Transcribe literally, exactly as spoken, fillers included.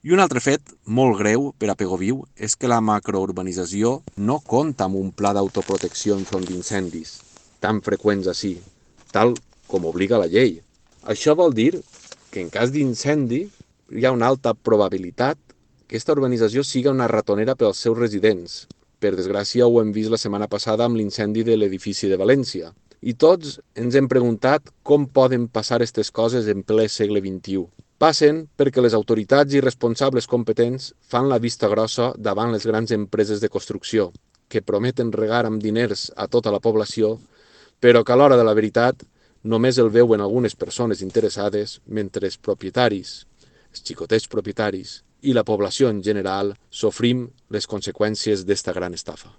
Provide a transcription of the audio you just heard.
I un altre fet molt greu per a Pegoviu és que la macrourbanització no compta amb un pla d'autoprotecció enfront d'incendis, tan freqüents així, tal com obliga la llei. Això vol dir que en cas d'incendi hi ha una alta probabilitat que aquesta urbanització siga una ratonera pels seus residents. Per desgràcia ho hem vist la setmana passada amb l'incendi de l'edifici de València. I tots ens hem preguntat com poden passar aquestes coses en ple segle vint-i-u. Passen perquè les autoritats i responsables competents fan la vista grossa davant les grans empreses de construcció, que prometen regar amb diners a tota la població, però que a l'hora de la veritat només el veuen algunes persones interessades, mentre els propietaris, els xicotets propietaris i la població en general sofrim les conseqüències d'esta gran estafa.